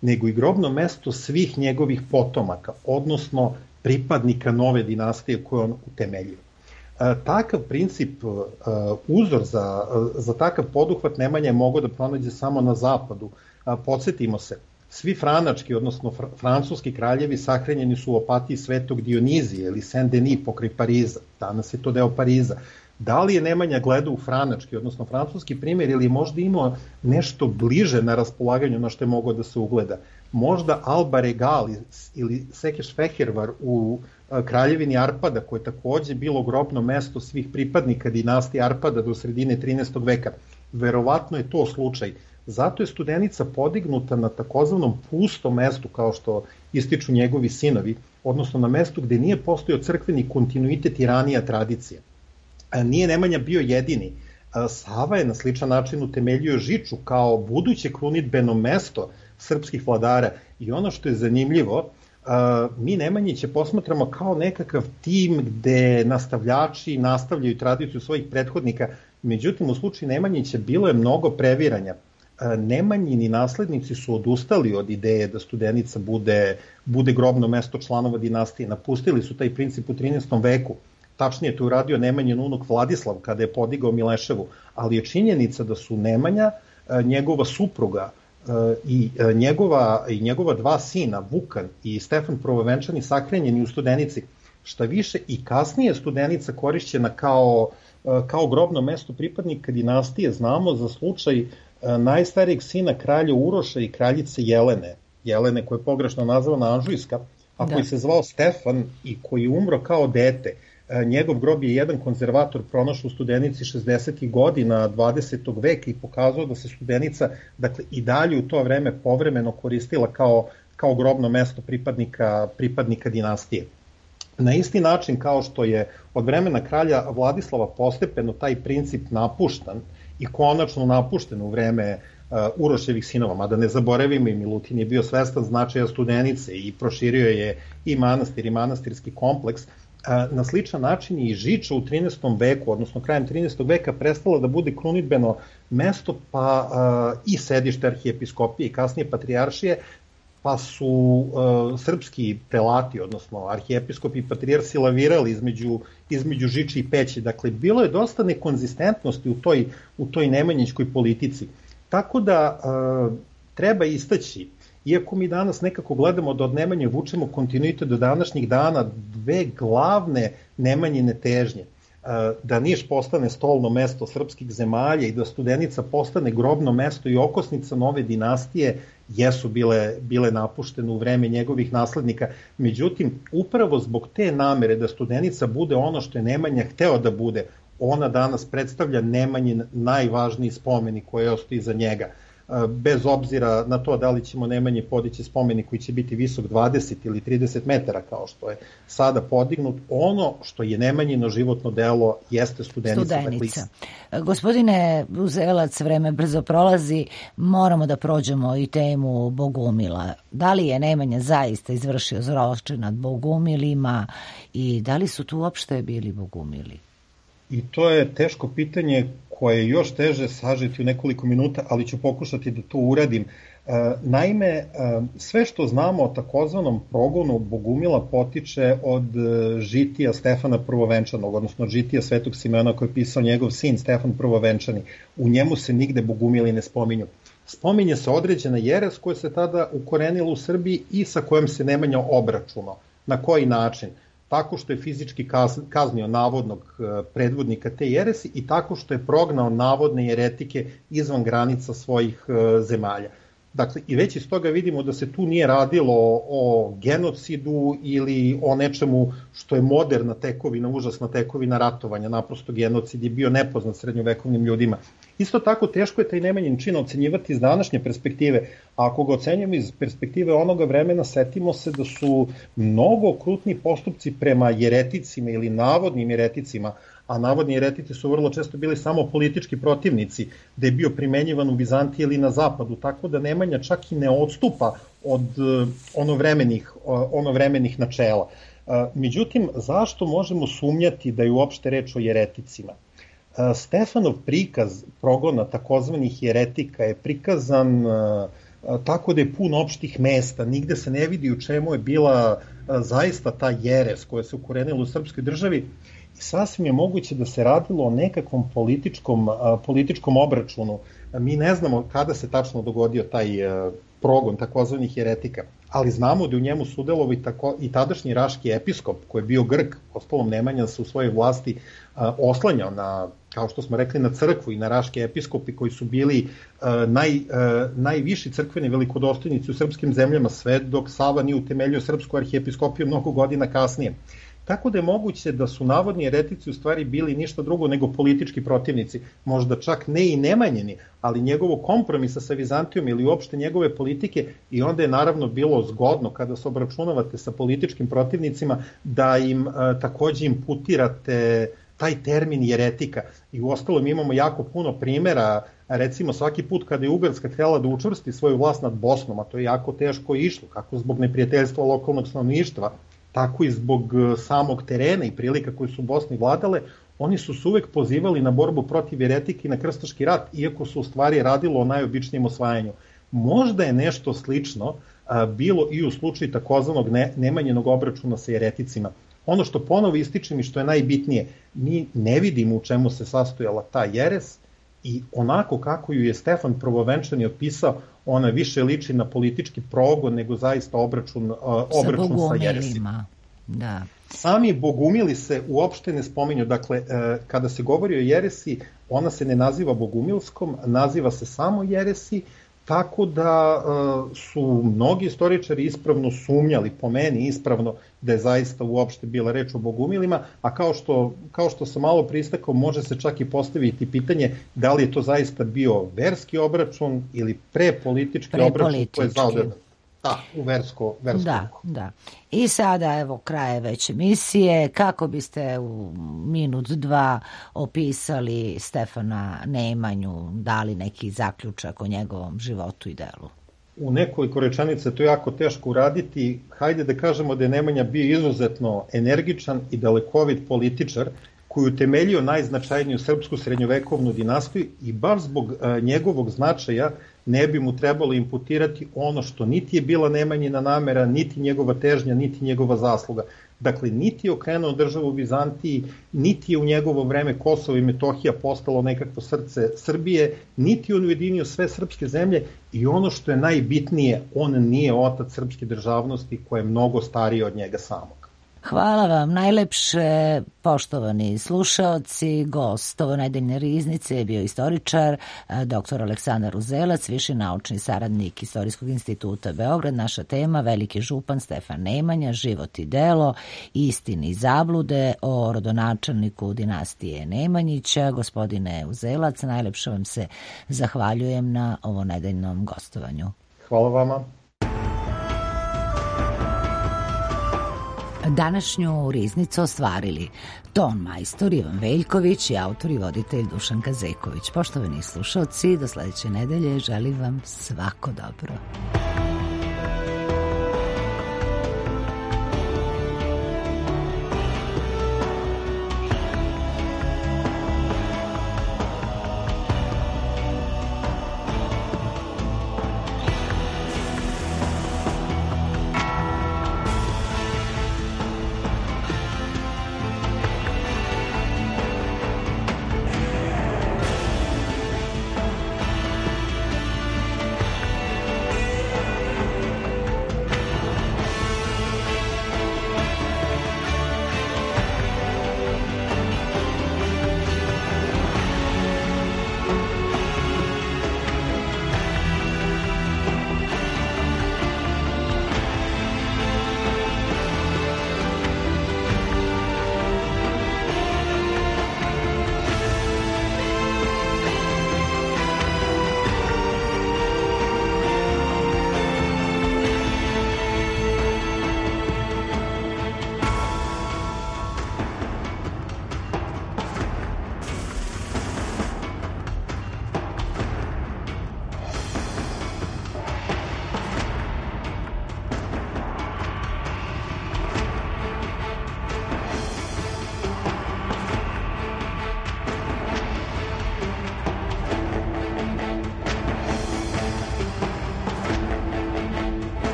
nego i grobno mesto svih njegovih potomaka, odnosno pripadnika nove dinastije koju on utemeljio. Takav princip, uzor za takav poduhvat Nemanja je mogao da pronađe samo na zapadu. Podsjetimo se, svi franački, odnosno francuski kraljevi sahranjeni su u apatiji Svetog Dionizija ili Saint-Denis pokraj Pariza, danas je to deo Pariza. Da li je Nemanja gledao u franački, odnosno francuski primjer, ili je možda imao nešto bliže na raspolaganju na što je mogao da se ugleda? Možda Alba Regal ili Sekeš Fehervar u Kraljevini Arpada, koje je takođe bilo grobno mesto svih pripadnika dinastije Arpada do sredine 13. veka. Verovatno je to slučaj. Zato je Studenica podignuta na takozvanom pustom mestu, kao što ističu njegovi sinovi, odnosno na mestu gde nije postojao crkveni kontinuitet i ranija tradicija. Nije Nemanja bio jedini. Sava je na sličan način utemeljio Žiču kao buduće krunidbeno mesto srpskih vladara i ono što je zanimljivo, mi Nemanjiće posmatramo kao nekakav tim gde nastavljači nastavljaju tradiciju svojih prethodnika, međutim u slučaju Nemanjića bilo je mnogo previranja. Nemanjini naslednici su odustali od ideje da Studenica bude grobno mesto članova dinastije, napustili su taj princip u 13. veku. Tačnije to uradio Nemanjin unuk Vladislav kada je podigao Mileševu, ali je činjenica da su Nemanja, njegova supruga i njegova dva sina, Vukan i Stefan Prvovenčani, sahranjeni u Studenici. Šta više, i kasnije Studenica korišćena kao grobno mesto pripadnika dinastije, znamo za slučaj najstarijeg sina kralja Uroša i kraljice Jelene koja je pogrešno nazvana Anžujska, a koji se zvao Stefan i koji je umro kao dete. Njegov grob je jedan konzervator pronašao u Studenici 60. godina 20. veka i pokazao da se Studenica, dakle, i dalje u to vreme povremeno koristila kao grobno mesto pripadnika dinastije. Na isti način kao što je od vremena kralja Vladislava postepeno taj princip napuštan i konačno napušten u vreme Uroševih sinova, mada ne zaboravimo, i Milutin je bio svestan značaja Studenice i proširio je i manastir i manastirski kompleks. Na sličan način i Žiča u 13. veku, odnosno krajem 13. veka, prestala da bude krunidbeno mesto, pa i sedište arhijepiskopije i kasnije patrijaršije, pa su srpski prelati, odnosno arhijepiskopi i patrijarsi lavirali između Žiče i Peći. Dakle, bilo je dosta nekonzistentnosti u toj nemanjićkoj politici. Tako da treba istaći, iako mi danas nekako gledamo da od Nemanje vučemo kontinuitet do današnjih dana, dve glavne Nemanjine težnje, da Niš postane stolno mesto srpskih zemalja i da Studenica postane grobno mesto i okosnica nove dinastije, jesu bile napuštene u vreme njegovih naslednika. Međutim, upravo zbog te namere da Studenica bude ono što je Nemanja hteo da bude, ona danas predstavlja Nemanjin najvažniji spomenik koji ostaje iza njega. Bez obzira na to da li ćemo Nemanji podići spomenik koji će biti visok 20 ili 30 metara kao što je sada podignut, ono što je Nemanjino životno delo jeste Studenica. Gospodine Uzelac, vreme brzo prolazi, moramo da prođemo i temu Bogumila. Da li je Nemanja zaista izvršio zločin nad Bogumilima i da li su tu uopšte bili Bogumili? I to je teško pitanje koje je još teže sažeti u nekoliko minuta, ali ću pokušati da to uradim. Naime, sve što znamo o takozvanom progonu Bogumila potiče od žitija Stefana Prvovenčanog, odnosno žitija Svetog Simeona koje je pisao njegov sin Stefan Prvovenčani. U njemu se nigde Bogumili ne spominju. Spominje se određena jeres koja se tada ukorenila u Srbiji i sa kojom se Nemanja obračunao. Na koji način? Tako što je fizički kaznio navodnog predvodnika te jeresi i tako što je prognao navodne jeretike izvan granica svojih zemalja. Dakle, i već iz toga vidimo da se tu nije radilo o genocidu ili o nečemu što je moderna tekovina, užasna tekovina ratovanja, naprosto genocid je bio nepoznat srednjovekovnim ljudima. Isto tako teško je taj Nemanjin čin ocenjivati iz današnje perspektive, a ako ga ocenjujemo iz perspektive onoga vremena, setimo se da su mnogo okrutni postupci prema jereticima ili navodnim jereticima, a navodni jeretici su vrlo često bili samo politički protivnici, da je bio primenjivan u Bizantiji ili na zapadu, tako da Nemanja čak i ne odstupa od onovremenih načela. Međutim, zašto možemo sumnjati da je uopšte reč o jereticima? Stefanov prikaz progona takozvanih jeretika je prikazan tako da je pun opštih mesta, nigde se ne vidi u čemu je bila zaista ta jeres koja se ukorenila u srpskoj državi i sasvim je moguće da se radilo o nekakvom političkom obračunu. Mi ne znamo kada se tačno dogodio taj progon takozvanih jeretika, ali znamo da u njemu sudelovao i tadašnji raški episkop, koji je bio Grk, ostalom Nemanja se u svojoj vlasti oslanjao na, kao što smo rekli, na crkvu i na raške episkopi koji su bili najviši crkveni velikodostojnici u srpskim zemljama, sve dok Sava nije utemeljio srpsku arhijepiskopiju mnogo godina kasnije. Tako da je moguće da su navodni eretici u stvari bili ništa drugo nego politički protivnici, možda čak ne i Nemanjini, ali njegovog kompromisa sa Vizantijom ili uopšte njegove politike, i onda je naravno bilo zgodno kada se obračunavate sa političkim protivnicima da im takođe imputirate taj termin jeretika. I u ostalom imamo jako puno primera, recimo svaki put kada je Ugarska htjela da učvrsti svoju vlast nad Bosnom, a to je jako teško išlo, kako zbog neprijateljstva lokalnog stanovništva, tako i zbog samog terena i prilika koje su u Bosni vladale, oni su se uvek pozivali na borbu protiv jeretike i na krstaški rat, iako su u stvari radilo o najobičnijem osvajanju. Možda je nešto slično bilo i u slučaju takozvanog Nemanjinog obračuna sa jereticima. Ono što ponovo ističem i što je najbitnije, mi ne vidimo u čemu se sastojala ta jeres, i onako kako ju je Stefan Prvovenčani opisao, ona više liči na politički progon nego zaista obračun sa jeresima. Da. Sami bogumili se uopšte ne spominju, dakle, kada se govori o jeresi, ona se ne naziva bogumilskom, naziva se samo jeresi, tako da su mnogi istoričari ispravno sumnjali, po meni ispravno, da je zaista uopšte bila reč o bogumilima, a kao što sam malo pristakao, može se čak i postaviti pitanje da li je to zaista bio verski obračun ili prepolitički obračun koji je zaodan. Da, u versko. Da. I sada, evo, kraje već emisije. Kako biste u minut, dva opisali Stefana Nemanju, dali neki zaključak o njegovom životu i delu? U nekoliko rečenica to je jako teško uraditi. Hajde da kažemo da je Nemanja bio izuzetno energičan i dalekovit političar koji je utemeljio najznačajniju srpsku srednjovekovnu dinastiju, i baš zbog njegovog značaja ne bi mu trebalo imputirati ono što niti je bila Nemanjina namera, niti njegova težnja, niti njegova zasluga. Dakle, niti je okrenuo državu u Vizantiji, niti je u njegovo vreme Kosovo i Metohija postalo nekakvo srce Srbije, niti je on ujedinio sve srpske zemlje, i ono što je najbitnije, on nije otac srpske državnosti koja je mnogo starija od njega samog. Hvala vam najlepše, poštovani slušaoci. Gost ove nedeljne riznice je bio istoričar dr. Aleksandar Uzelac, viši naučni saradnik Istorijskog instituta Beograd. Naša tema: veliki župan Stefan Nemanja, život i delo, istine i zablude o rodonačelniku dinastije Nemanjića. Gospodine Uzelac, najlepše vam se zahvaljujem na ovo nedeljnom gostovanju. Hvala vama. Današnju riznicu ostvarili ton majstor Ivan Veljković i autor i voditelj Dušan Kazeković. Poštovani slušalci, do sledeće nedelje želim vam svako dobro.